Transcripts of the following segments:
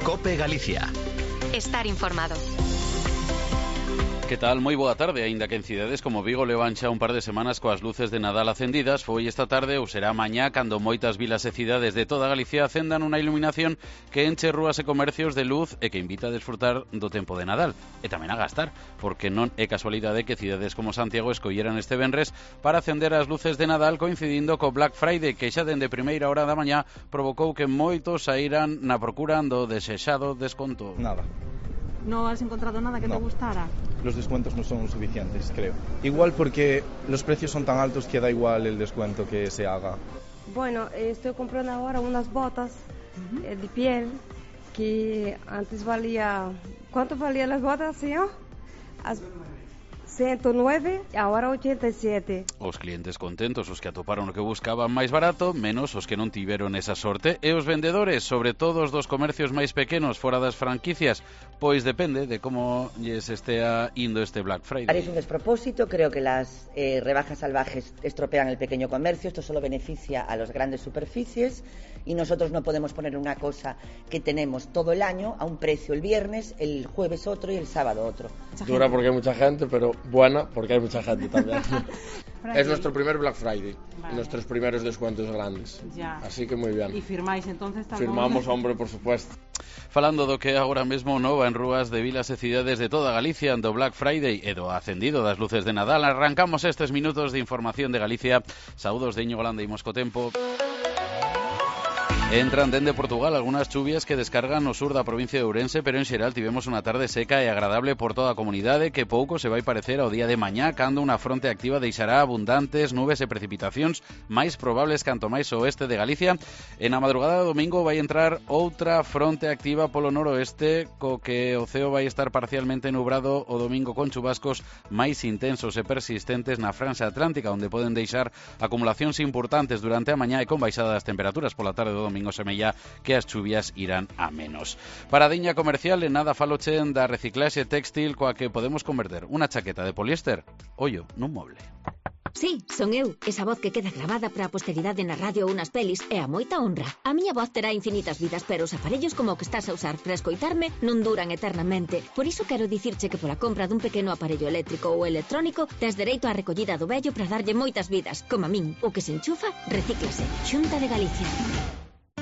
COPE Galicia. Estar informado. Que tal? Moi boa tarde, aínda que en cidades como Vigo levan xa un par de semanas coas luces de Nadal acendidas, foi esta tarde ou será mañá cando moitas vilas e cidades de toda Galicia acendan unha iluminación que enche rúas e comercios de luz e que invita a desfrutar do tempo de Nadal e tamén a gastar, porque non é casualidade que cidades como Santiago escolleran este venres para acender as luces de Nadal coincidindo co Black Friday, que xa dende primeira hora da mañá provocou que moitos saíran na procura do desexado desconto. Nada. ¿No has encontrado nada que te gustara? Los descuentos no son suficientes, creo. Igual porque los precios son tan altos que da igual el descuento que se haga. Bueno, estoy comprando ahora unas botas de piel que antes valía... ¿Cuánto valían las botas, señor? 109, ahora 87. Os clientes contentos, os que atoparon o que buscaban máis barato, menos os que non tiveron esa sorte, e os vendedores, sobre todo os dos comercios máis pequenos fora das franquicias, pois depende de como lles estea indo este Black Friday. Es un despropósito, creo que las rebajas salvajes estropean el pequeño comercio, esto solo beneficia a las grandes superficies y nosotros no podemos poner una cosa que tenemos todo el año a un precio el viernes, el jueves otro y el sábado otro. Dura porque hay mucha gente, pero buena porque hay mucha gente también. Es nuestro primer Black Friday, nuestros primeros descuentos grandes. Ya. Así que muy bien. ¿Y firmáis entonces también? Firmamos, hombre, por supuesto. Falando do que agora mesmo nova en rúas de vilas e cidades de toda Galicia do Black Friday e do acendido das luces de Nadal, arrancamos estes minutos de información de Galicia. Saúdos de Íñigo Landa e Mosco Tempo. Entran dende Portugal algunhas chuvias que descargan no sur da provincia de Ourense, pero en xeral tivemos unha tarde seca e agradable por toda a comunidade que pouco se vai parecer ao día de mañá cando unha fronte activa deixará abundantes nubes e precipitacións máis probables canto máis ao oeste de Galicia. E na madrugada do domingo vai entrar outra fronte activa polo noroeste co que o ceo vai estar parcialmente nubrado o domingo con chubascos máis intensos e persistentes na franxa atlántica, onde poden deixar acumulacións importantes durante a mañá e con baixada das temperaturas pola tarde do domingo semella que as chuvias irán a menos. Paradiña comercial, en nada falochen da reciclaxe textil coa que podemos converter unha chaqueta de poliéster, ollo, nun moble. Sí, son eu, esa voz que queda grabada para a posteridade na radio ou nas pelis é a moita honra. A miña voz terá infinitas vidas, pero os aparellos como o que estás a usar para escoitarme non duran eternamente. Por iso quero dicirche que pola compra dun pequeno aparello eléctrico ou electrónico tes dereito á recollida do vello para darlle moitas vidas, como a min. O que se enchufa, recíclase. Xunta de Galicia.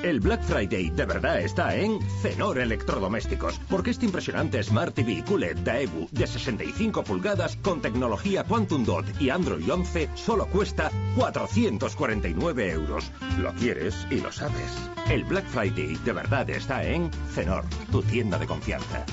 El Black Friday de verdad está en Cenor Electrodomésticos, porque este impresionante Smart TV QLED Daewoo de 65 pulgadas con tecnología Quantum Dot y Android 11 solo cuesta 449 euros. Lo quieres y lo sabes. El Black Friday de verdad está en Cenor, tu tienda de confianza.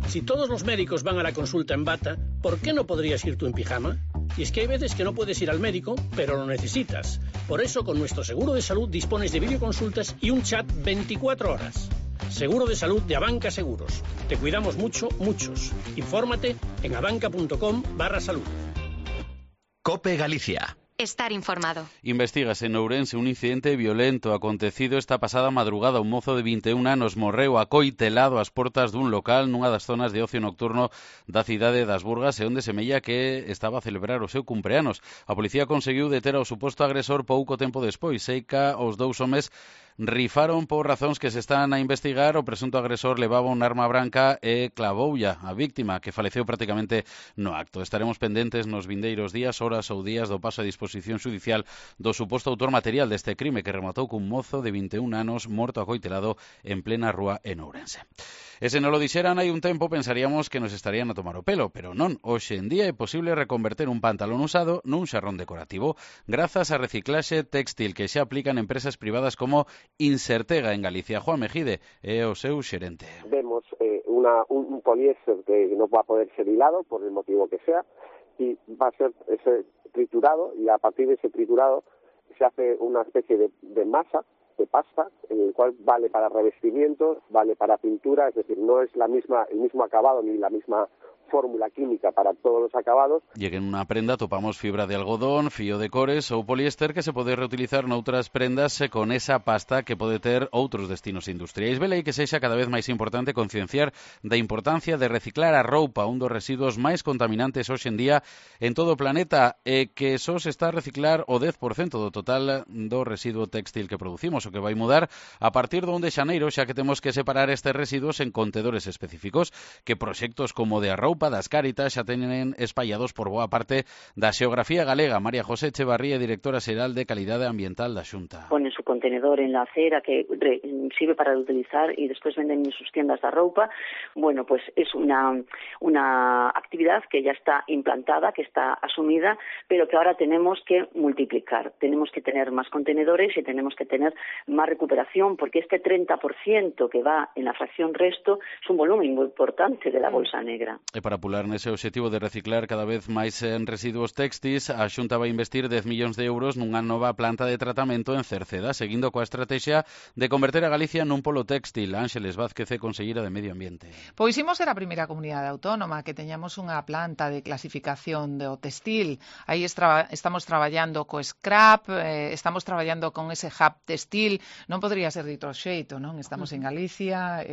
Si todos los médicos van a la consulta en bata, ¿por qué no podrías ir tú en pijama? Y es que hay veces que no puedes ir al médico, pero lo necesitas. Por eso, con nuestro seguro de salud dispones de videoconsultas y un chat 24 horas. Seguro de salud de Abanca Seguros. Te cuidamos mucho, muchos. Infórmate en abanca.com/salud. COPE Galicia. Estar informado. Investígase en Ourense un incidente violento acontecido esta pasada madrugada. Un mozo de 21 anos morreu acoitelado ás portas dun local nunha das zonas de ocio nocturno da cidade das Burgas e onde semella que estaba a celebrar o seu cumpleanos. A policía conseguiu deter ao suposto agresor pouco tempo despois. Seica os dous homes rifaron por razóns que se están a investigar. O presunto agresor levaba un arma branca e clavoulla a víctima, que faleceu prácticamente no acto. Estaremos pendentes nos vindeiros días, horas ou días do paso a disposición xudicial do suposto autor material deste crime que rematou cun mozo de 21 anos morto acoitelado en plena rúa en Ourense. E se non lo dixeran hai un tempo pensaríamos que nos estarían a tomar o pelo, pero non. Hoxe en día é posible reconverter un pantalón usado nun xarrón decorativo grazas a reciclaxe textil que xa aplican empresas privadas como Insertega en Galicia. Juan Mejide é o seu xerente. Vemos un poliéster que no va a poder ser hilado por el motivo que sea y va a ser ese triturado y a partir de ese triturado se hace una especie de masa, de pasta, en el cual vale para revestimientos, vale para pintura, es decir, no es el mismo acabado ni la misma fórmula química para todos los acabados. E que en unha prenda topamos fibra de algodón, fío de cores ou poliéster que se pode reutilizar noutras prendas con esa pasta que pode ter outros destinos industriais. Velei que sexa cada vez máis importante concienciar da importancia de reciclar a roupa, un dos residuos máis contaminantes hoxe en día en todo o planeta, e que só se está a reciclar o 10% do total do residuo téxtil que producimos, o que vai mudar a partir do 1 de xaneiro, xa que temos que separar estes residuos en contedores específicos que proxectos como de a roupa das Cáritas xa teñen espallados por boa parte da xeografía galega. María José Echevarría, directora xeral de Calidade Ambiental da Xunta. Ponen su contenedor en la acera que sirve para reutilizar y después venden en sus tiendas de ropa. Bueno, pues es una actividad que ya está implantada, que está asumida, pero que ahora tenemos que multiplicar. Tenemos que tener más contenedores y tenemos que tener más recuperación, porque este 30% que va en la fracción resto es un volumen muy importante de la bolsa negra. E para apular nese objetivo de reciclar cada vez máis en residuos textis, a Xunta vai investir 10 millóns de euros nunha nova planta de tratamento en Cerceda, seguindo coa estrategia de converter a Galicia nun polo textil. Ángeles Vázquez é conselleira de Medio Ambiente. Pois imos ser a primeira comunidade autónoma que teñamos unha planta de clasificación do textil. Aí estamos traballando co scrap, estamos traballando con ese hub textil. Non podría ser dito xeito, non? Estamos en Galicia,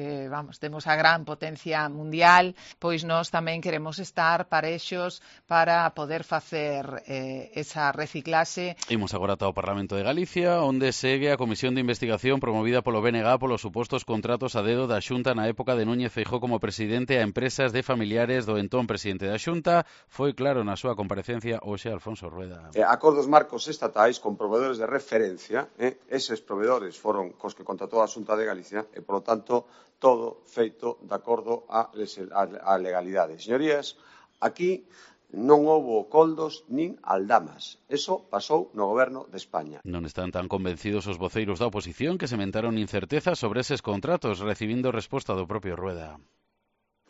temos a gran potencia mundial, pois nós tamén queremos estar parexos para poder facer esa reciclase. Imos agora ata o Parlamento de Galicia, onde segue a comisión de investigación promovida polo BNG polos supostos contratos a dedo da Xunta na época de Núñez Feijóo como presidente a empresas de familiares do entón presidente da Xunta. Foi claro na súa comparecencia hoxe Alfonso Rueda. Acordos marcos estatais con proveedores de referencia, eses proveedores foron cos que contratou a Xunta de Galicia e, polo tanto, todo feito de acordo a legalidade. Señorías, aquí non houbo coldos nin aldamas. Eso pasou no goberno de España. Non están tan convencidos os voceiros da oposición que sementaron incertezas sobre eses contratos, recibindo resposta do propio Rueda.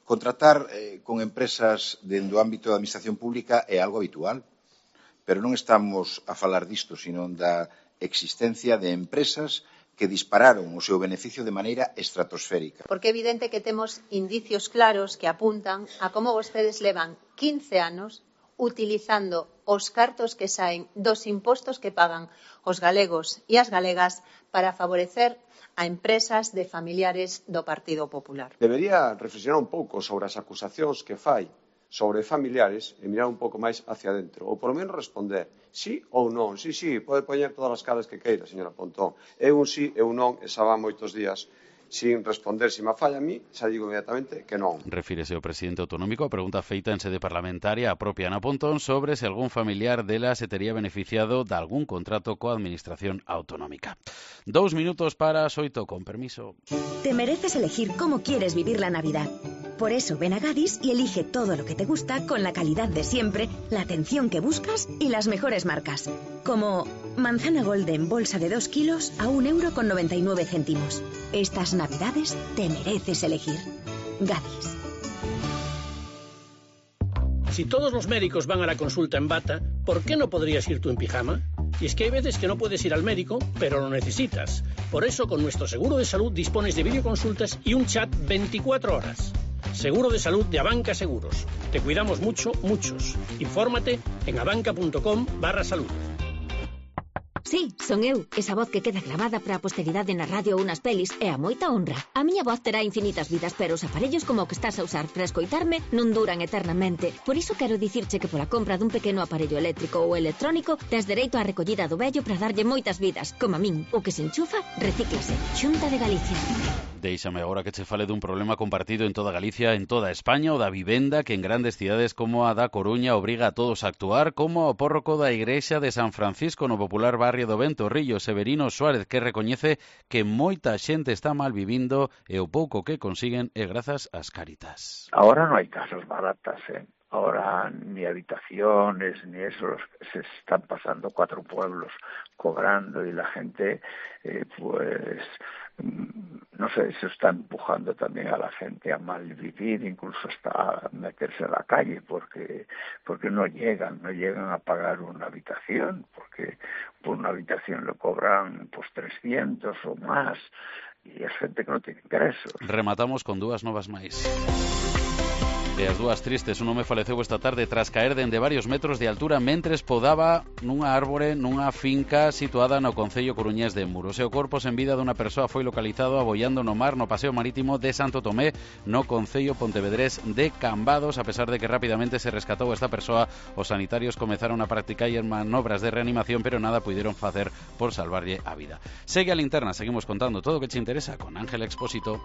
Contratar con empresas dentro do ámbito da administración pública é algo habitual, pero non estamos a falar disto, sino da existencia de empresas que dispararon o seu beneficio de maneira estratosférica. Porque é evidente que temos indicios claros que apuntan a como vostedes levan 15 anos utilizando os cartos que saen dos impostos que pagan os galegos e as galegas para favorecer a empresas de familiares do Partido Popular. Debería reflexionar un pouco sobre as acusacións que fai sobre familiares e mirar un pouco máis hacia dentro, ou por lo menos responder sí ou non. Sí, pode poñer todas as caras que queira, señora Pontón. É un sí e un non, e xa van moitos días sin responder. Se me falla a mí, xa digo inmediatamente que non. Refírese o presidente autonómico a pregunta feita en sede parlamentaria a propia Ana Pontón sobre se algún familiar dela se tería beneficiado de algún contrato coa administración autonómica. 2 minutos para as 8, con permiso. Te mereces elegir cómo quieres vivir la Navidad. Por eso ven a Gadis y elige todo lo que te gusta con la calidad de siempre, la atención que buscas y las mejores marcas. Como manzana golden bolsa de 2 kilos a 1,99 €. Estas Navidades te mereces elegir. Gadis. Si todos los médicos van a la consulta en bata, ¿por qué no podrías ir tú en pijama? Y es que hay veces que no puedes ir al médico, pero lo necesitas. Por eso, con nuestro seguro de salud dispones de videoconsultas y un chat 24 horas. Seguro de salud de Abanca Seguros. Te cuidamos mucho, muchos. Infórmate en abanca.com/salud. Sí, son eu, esa voz que queda grabada para a posteridade na radio ou nas pelis e a moita honra. A miña voz terá infinitas vidas, pero os aparellos como o que estás a usar para escoitarme non duran eternamente. Por iso quero dicirche que pola compra dun pequeno aparello eléctrico ou electrónico tes dereito á recollida do vello para darlle moitas vidas. Como a min, o que se enchufa, recíclase. Xunta de Galicia. Déixame agora que che fale dun problema compartido en toda Galicia, en toda España, o da vivenda, que en grandes cidades como a da Coruña obriga a todos a actuar, como o pórroco da Igrexa de San Francisco no popular barrio do Ventorrillo, Severino Suárez, que recoñece que moita xente está mal vivindo e o pouco que consiguen é grazas ás Cáritas. Ahora no hay casas baratas, Ahora ni habitaciones, ni eso, se están pasando 4 pueblos cobrando y la gente, no sé, se está empujando también a la gente a mal vivir, incluso hasta a meterse a la calle, porque no llegan a pagar una habitación, porque por una habitación le cobran 300 o más, y es gente que no tiene ingresos. Rematamos con 2 novas máis. E as dúas tristes, un home faleceu esta tarde tras caer dende varios metros de altura mentres podaba nunha árbore nunha finca situada no concello coruñés de Muros. E o corpo sen vida dunha persoa foi localizado aboiando no mar no paseo marítimo de Santo Tomé no concello pontevedrés de Cambados. A pesar de que rapidamente se rescatou esta persoa, os sanitarios comezaron a practicar manobras de reanimación, pero nada puideron facer por salvarlle a vida. Segue a linterna, seguimos contando todo o que che interesa con Ángela Expósito.